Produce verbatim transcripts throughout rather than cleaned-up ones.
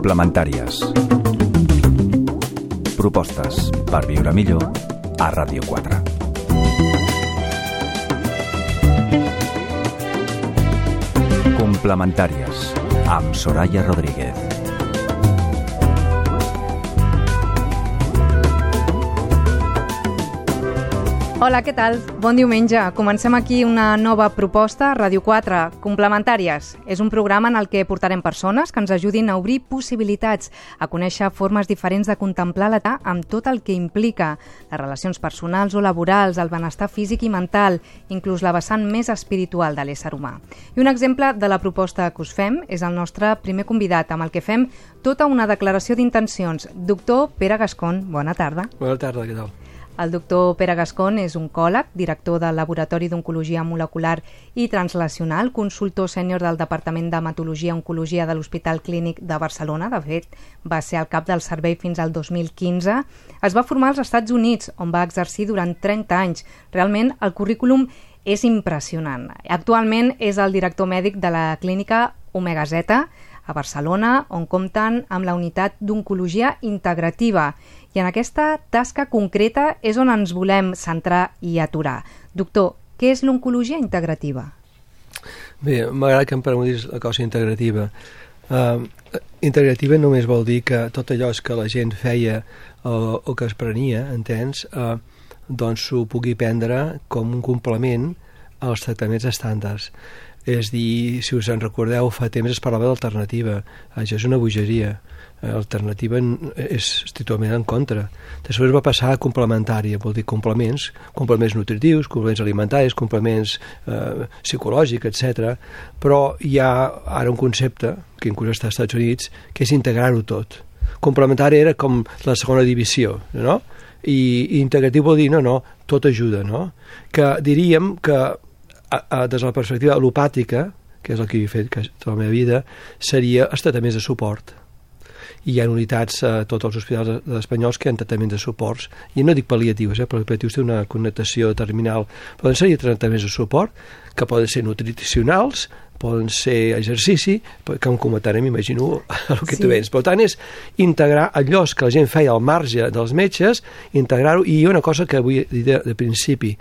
Complementàries. Propostes per viure millor a Ràdio quatre. Complementàries amb Soraya Rodríguez. Hola, què tal? Bon diumenge. Comencem aquí una nova proposta a Ràdio quatre, Complementàries. És un programa en el que portarem persones que ens ajudin a obrir possibilitats, a conèixer formes diferents de contemplar l'età amb tot el que implica, les relacions personals o laborals, el benestar físic i mental, inclús la vessant més espiritual de l'ésser humà. I un exemple de la proposta que us fem és el nostre primer convidat, amb el que fem tota una declaració d'intencions. Doctor Pere Gascón, bona tarda. Bona tarda, què tal? El doctor Pere Gascón és oncòleg, director del Laboratori d'Oncologia Molecular i Translacional, consultor sènior del Departament d'Hematologia i Oncologia de l'Hospital Clínic de Barcelona. De fet, va ser el cap del servei fins al dos mil quinze. Es va formar als Estats Units, on va exercir durant trenta anys. Realment, el currículum és impressionant. Actualment és el director mèdic de la clínica Omega Zeta, a Barcelona, on compten amb la unitat d'oncologia integrativa. I en aquesta tasca concreta és on ens volem centrar i aturar. Doctor, què és l'oncologia integrativa? Bé, m'agrada que em preguntis la cosa integrativa. Uh, integrativa només vol dir que tot allò que la gent feia o, o que es prenia, entens, uh, doncs s'ho pugui prendre com un complement als tractaments estàndards. És dir, si us en recordeu, fa temps es parlava d'alternativa. Això és una bogeria. Alternativa és estrictament en contra. Després va passar a complementària, vol dir complements, complements nutritius, complements alimentaris, complements eh, psicològics, etcètera. Però hi ha ara un concepte, que inclús està als Estats Units, que és integrar-ho tot. Complementari era com la segona divisió, no? I, i integratiu vol dir, no, no, tot ajuda, no? Que diríem que a, a, des de la perspectiva al·lopàtica, que és el que he fet tota la meva vida, seria els tractaments de suport. I hi ha unitats a tots els hospitals espanyols que hi ha tractaments de suports, i no dic pal·liatius, eh, perquè pal·liatius té una connotació terminal, poden ser tractaments de suport que poden ser nutricionals, poden ser exercici, que em comentarem, m'imagino, el que sí. Tu vens. Per tant, és integrar allò que la gent feia al marge dels metges, integrar-ho, i hi ha una cosa que vull dir de, de principi.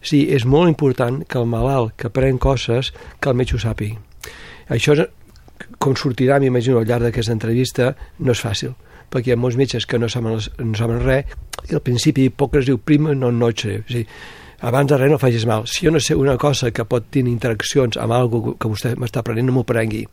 Sí, és molt important que el malalt que pren coses, que el metge ho sàpiga. Això és, com sortirà, m'imagino, al llarg d'aquesta entrevista, no és fàcil, perquè hi ha molts metges que no saben, no saben res, i al principi Hipòcrates diu, prima non nocere, és a dir, abans de res no facis mal. Si jo no sé una cosa que pot tenir interaccions amb alguna que vostè m'està prenent, no m'ho prengui.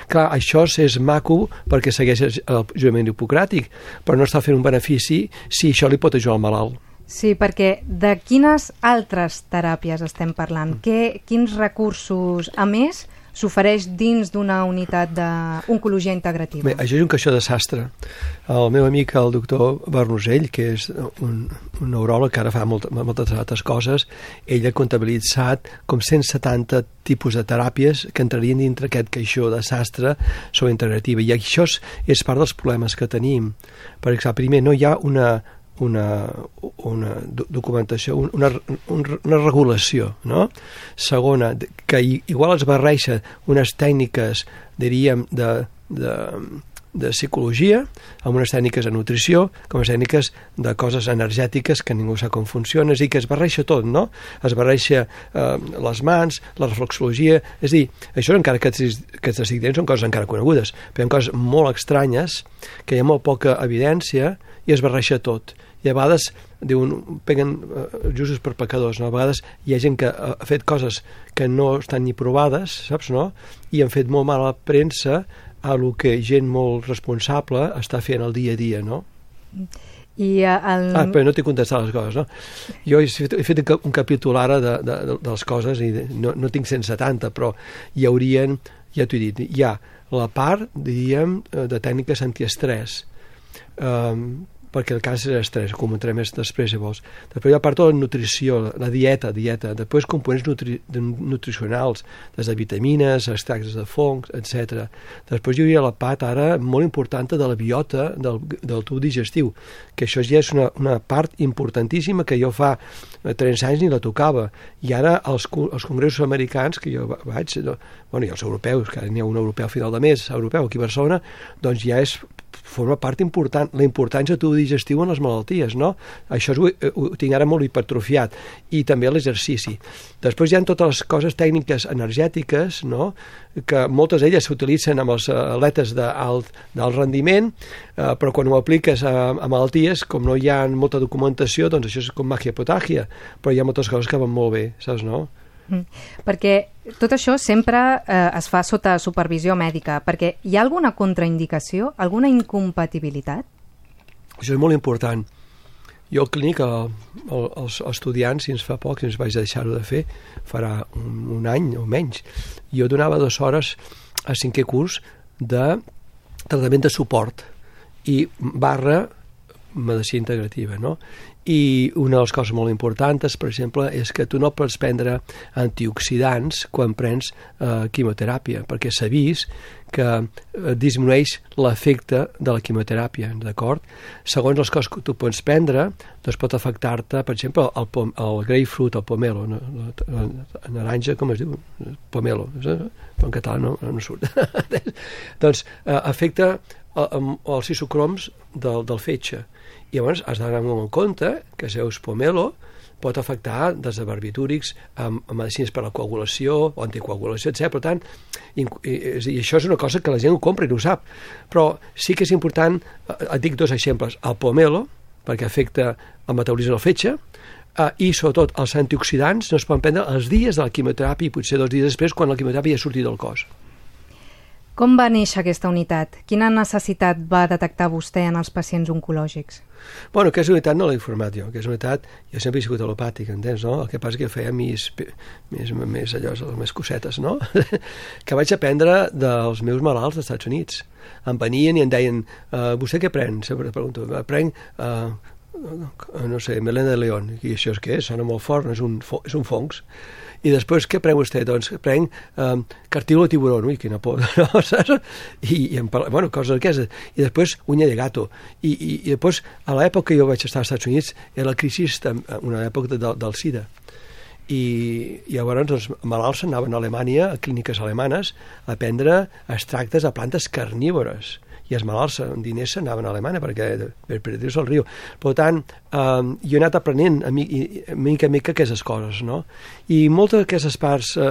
Clar, això és maco perquè segueix el jurament hipocràtic, però no està fent un benefici si això li pot ajudar al malalt. Sí, perquè de quines altres teràpies estem parlant? Què, quins recursos, a més, s'ofereix dins d'una unitat d'oncologia integrativa? Bé, això és un caixó de sastre. El meu amic, el doctor Bernusell, que és un, un neuròleg que ara fa molt, moltes altres coses, ell ha comptabilitzat com cent setanta tipus de teràpies que entrarien dintre aquest caixó de sastre sobre integrativa. I això és, és part dels problemes que tenim. Per exemple, primer, no hi ha una una, una documentació, una, una regulació, no? Segona, que igual es barreja unes tècniques, diríem, de, de, de psicologia amb unes tècniques de nutrició, com les tècniques de coses energètiques que ningú sap com funciona, és a dir, que es barreja tot, no? Es barreja eh, les mans, la reflexologia, és a dir, això encara que aquests disciplines són coses encara conegudes, però hi ha coses molt estranyes, que hi ha molt poca evidència, i es barreja tot. I a vegades diuen, peguen uh, justos per pecadors, no? A vegades hi ha gent que ha fet coses que no estan ni provades, saps, no? I han fet molt mal a la premsa a lo que gent molt responsable està fent el dia a dia, no? I el... Ah, però no t'he contestat les coses, no? Jo he fet, he fet un capítol ara de, de, de, de les coses, i no, no tinc cent setanta, però hi haurien, ja t'ho he dit, hi ha la part, diríem, de tècniques antiestrès, um, perquè el càncer és estrès, comentaré més després si vols. Després hi ha part de la nutrició, la dieta, dieta, després components nutri nutricionals, des de vitamines, extractes de fongs, etcètera. Després hi hauria la part ara molt important de la biota del, del tub digestiu, que això ja és una, una part importantíssima que jo fa trenta anys ni la tocava, i ara els, els congressos americans que jo vaig, no, bueno, i els europeus, que n'hi ha un europeu a final de mes, europeu aquí a Barcelona, doncs ja és, forma part important, la importància del tub digestiu en les malalties, no? Això ho, ho tinc ara molt hipertrofiat, i també l'exercici. Després hi ha totes les coses tècniques energètiques, no?, que moltes d'elles s'utilitzen amb els atletes d'alt rendiment, eh, però quan ho apliques a, a malalties, com no hi ha molta documentació, doncs això és com màgia potàgia, però hi ha moltes coses que van molt bé, saps, no? Mm. Perquè tot això sempre eh, es fa sota supervisió mèdica, perquè hi ha alguna contraindicació, alguna incompatibilitat? Això és molt important. Jo al clínic, el, el, els estudiants, si ens fa poc, si ens vaig deixar-ho de fer, farà un, un any o menys, jo donava dues hores a cinquè curs de tractament de suport i barra medicina integrativa, no? I una de les coses molt importants, per exemple, és que tu no pots prendre antioxidants quan prens eh, quimioteràpia, perquè s'ha vist que eh, disminueix l'efecte de la quimioteràpia, d'acord? Segons les coses que tu pots prendre, doncs pot afectar-te, per exemple, el, pom el grapefruit, el pomelo, no? La, la naranja, com es diu? Pomelo, en català no, no surt. Doncs eh, afecta el, els isocroms del, del fetge. I llavors has d'anar en compte que seus pomelo pot afectar des de barbitúrics a, a medicines per a la coagulació o anticoagulació, etcètera. Per tant, i, i, i això és una cosa que la gent ho compra i no ho sap. Però sí que és important, et dic dos exemples, el pomelo, perquè afecta el metabolisme del fetge, eh, i sobretot els antioxidants no es poden prendre els dies de la quimioteràpia i potser dos dies després quan la quimioteràpia ja ha sortit del cos. Com va néixer aquesta unitat? Quina necessitat va detectar vostè en els pacients oncològics? Bueno, aquesta unitat no l'he informat jo. Aquesta unitat, jo sempre he sigut alopàtic, entens, no? El que passa que feia més, més, més allò, més cosetes, no? Que vaig aprendre dels meus malalts dels Estats Units. Em venien i em deien, uh, vostè què pren? Sempre pregunto, prenc, uh, no sé, melena de león. I això és què? Sona molt fort, no? És un, és un fongs. I després, què prenc vostè? Doncs prenc um, cartílago de tiburón, ui, quina por, no, saps? I, i bueno, coses d'aquestes. I després, uña de gato. I, i, i després, a l'època que jo vaig estar als Estats Units, era la crisi, una època de, del SIDA. I, i llavors els malalts anaven a Alemanya, a clíniques alemanes, a prendre extractes a plantes carnívores. I els malalts amb diners s'anaven a Alemanya perquè per perdre-se el riu. Per tant, eh, jo he anat aprenent a mi, a mica a mica aquestes coses, no? I moltes d'aquestes parts eh,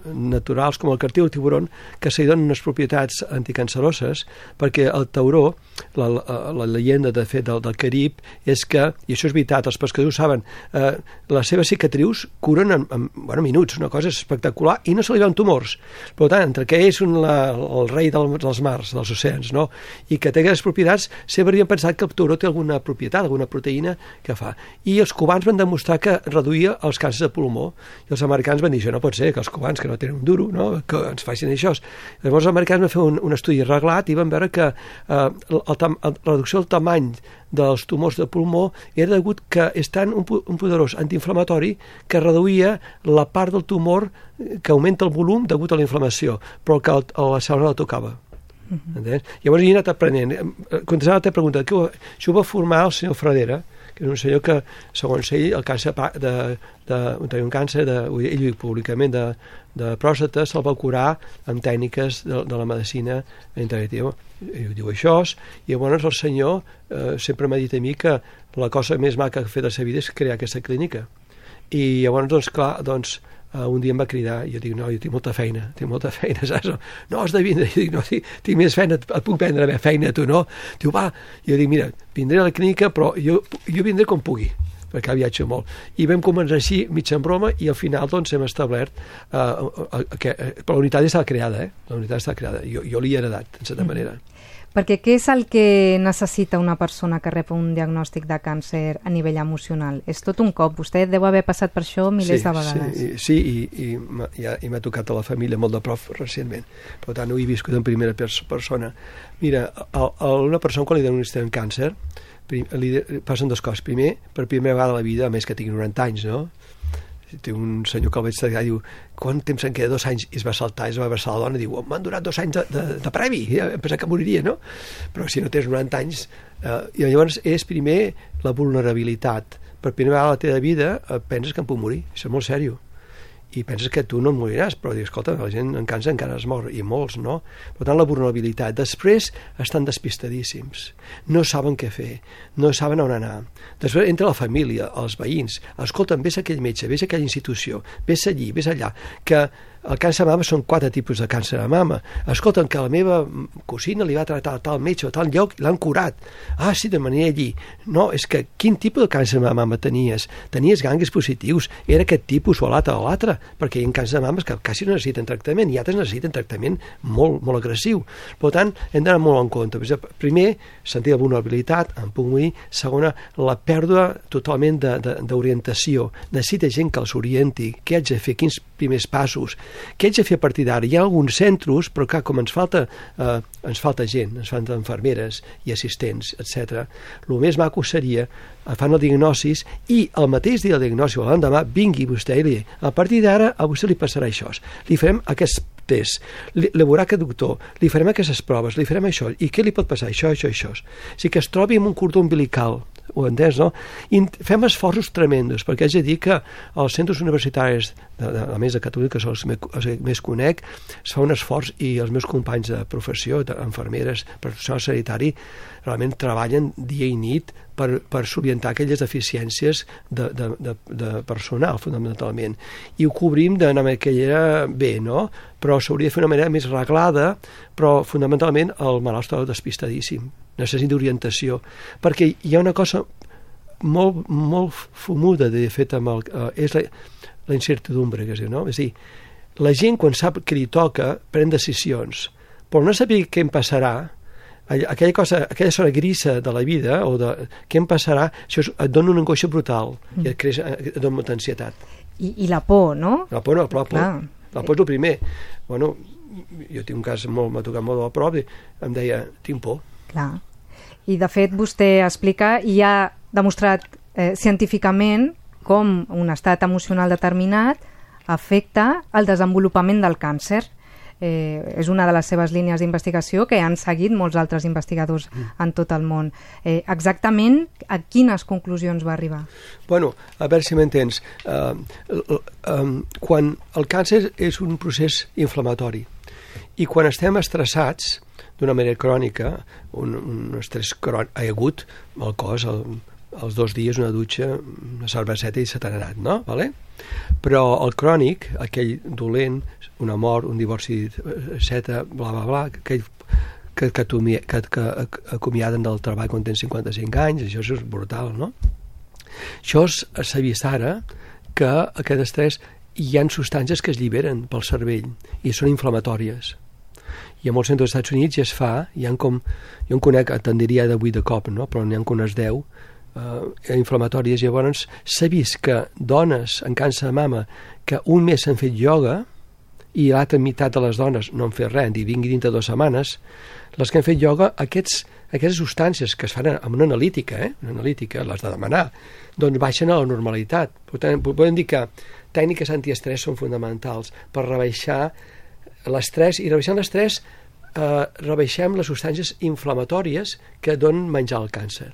naturals, com el cartílago de tiburón, que se li donen unes propietats anticanceroses, perquè el tauró, la, la, la llegenda de fet del, del Carib, és que, i això és veritat, els pescadors saben, eh, les seves cicatrius curen en, en bueno, minuts, una cosa espectacular, i no se li veuen tumors. Per tant, entre que és un, la, el rei del, dels mars, dels oceans, no? I que té aquestes propietats, sempre havien pensat que el tauró té alguna propietat, alguna proteïna que fa. I els cubans van demostrar que reduïa els càncers de pulmó. I els americans van dir, això no pot ser, que els cubans, que no tenen un duro, no? Que ens facin això. Llavors els americans van fer un, un estudi reglat i van veure que eh, el, el, la reducció del tamany dels tumors de pulmó era degut que és tan un, un poderós antiinflamatori que reduïa la part del tumor que augmenta el volum degut a la inflamació, però que el, la cèl·lula no la tocava. Uh-huh. Llavors he anat aprenent. Contestant a la teva pregunta, que ho, això ho va formar el senyor Fradera, que és un senyor que, segons ell, el càncer de, de, de un càncer, de, ell diu públicament, de, de pròstata, se'l va curar amb tècniques de, de la medicina integrativa. I diu això, i llavors el senyor eh, sempre m'ha dit a mi que la cosa més maca que ha fet a la seva vida és crear aquesta clínica. I llavors, doncs, clar, doncs, Uh, un dia em va cridar i jo dic, no, jo tinc molta feina, tinc molta feina, saps? No, has de vindre. Jo dic, no, tinc, tinc més feina, et, et puc prendre la feina, tu, no? Diu, va. Jo dic, mira, vindré a la clínica, però jo, jo vindré com pugui, perquè viatjo molt. I vam començar així, mig en broma, i al final, doncs, hem establert uh, uh, uh, que uh, però la unitat estava creada, eh? La unitat estava creada. Jo, jo l'hi he heredat, en certa manera. Perquè què és el que necessita una persona que rep un diagnòstic de càncer a nivell emocional? És tot un cop. Vostè deu haver passat per això milers sí, de vegades. Sí, sí i, i, i, i m'ha tocat a la família molt de prop recentment. Per tant, ho he viscut en primera persona. Mira, a, a una persona quan li diagnostiquen càncer prim, li passen dues coses. Primer, per primera vegada a la vida, a més que tingui noranta anys, no? Té un senyor que el veig treballar i diu, quant temps en queda? Dos anys, i es va saltar, es va abraçar la dona i diu, m'han durat dos anys de, de, de premi, em pensava que moriria, no? Però si no tens noranta anys, eh, i llavors és primer la vulnerabilitat. Per primera vegada a la teva vida eh, penses que em puc morir, això és molt sèrio. I penses que tu no et moriràs, però dius, escolta, la gent en càncer encara es mor, i molts, no? Per tant, la vulnerabilitat. Després estan despistadíssims, no saben què fer, no saben on anar. Després entra la família, els veïns, escolta'm, vés a aquell metge, vés a aquella institució, vés allí, vés allà, que el càncer de mama són quatre tipus de càncer de mama. Escolta'm, que la meva cosina li va tractar a tal metge o a tal lloc, l'han curat. Ah, sí, de manera allí. No, és que quin tipus de càncer de mama tenies? Tenies ganglis positius? Era aquest tipus o l'altre o l'altre? Perquè hi ha càncer de mames que quasi no necessiten tractament i altres necessiten tractament molt, molt agressiu. Per tant, hem d'anar molt en compte. Primer, sentir la vulnerabilitat, em puc morir. Segona, la pèrdua totalment d'orientació. Necessita gent que els orienti. Què haig de fer? Quins primers passos? Què haig de fer a partir d'ara? Hi ha alguns centres, però clar, com ens falta, eh, ens falta gent, ens falten infermeres i assistents, etcètera. El més maco seria, fan el diagnòstic i el mateix dia del diagnòstic o l'endemà vingui vostè i li digui, a partir d'ara a vostè li passarà això, li farem aquest test, li, li veurà aquest doctor, li farem aquestes proves, li farem això, i què li pot passar? Això, això, això. O sigui que es trobi amb un cordó umbilical, ho entens, no? I fem esforços tremendos, perquè haig de dir que els centres universitaris, de, de, a més de Catalunya, que són els, me, els més conec, es fa un esforç i els meus companys de professió, infermeres, personal sanitari, realment treballen dia i nit per, per solucionar aquelles deficiències de, de, de, de personal, fonamentalment. I ho cobrim d'una manera bé, no? Però s'hauria de fer una manera més reglada, però fonamentalment el malalt està despistadíssim. Necessita orientació. Perquè hi ha una cosa molt, molt fumuda, de fet, amb el, eh, és la, la incertidumbre, que es diu, no? És a dir, la gent, quan sap que li toca, pren decisions, però no saber què em passarà, aquella cosa, aquella zona grisa de la vida, o de què em passarà, això et dona una angoixa brutal i et, creix, et dona molta ansietat. I, i la por, no? La por no, la por, la por és el primer. Bueno, jo tinc un cas molt, m'ha tocat molt de la prova, em deia, tinc por. Clar. I de fet vostè explica i ha demostrat eh, científicament com un estat emocional determinat afecta el desenvolupament del càncer. Eh, és una de les seves línies d'investigació que han seguit molts altres investigadors en tot el món. Eh, exactament a quines conclusions va arribar? Bueno, a veure si m'entens. Uh, uh, um, quan el càncer és un procés inflamatori i quan estem estressats d'una manera crònica, un, un estrès crònic, agut, el cos, el, els dos dies una dutxa, una cerveseta i se t'ha anat, no? Vale? Però el crònic, aquell dolent, una mort, un divorci, etcètera, bla, bla, bla, aquell que, que, que, que acomiaden del treball quan tens cinquanta-cinc anys, això és brutal, no? Això s'ha vist ara que aquest estrès hi ha substàncies que es lliberen pel cervell i són inflamatòries. I a molts centres dels Estats Units ja es fa, hi ha com, jo en conec, te'n diria de vuit de cop, no? Però n'hi ha com unes deu, Uh, inflamatòries. Llavors s'ha vist que dones en càncer de mama que un mes s'han fet ioga i l'altra meitat de les dones no han fet res, i vingui dintre de dues setmanes, les que han fet ioga, aquests, aquestes substàncies que es fan amb una analítica, eh? una analítica, les de demanar, doncs baixen a la normalitat. Per tant, podem dir que tècniques antiestrès són fonamentals per rebaixar l'estrès, i rebaixant l'estrès eh, rebaixem les substàncies inflamatòries que donen menjar al càncer.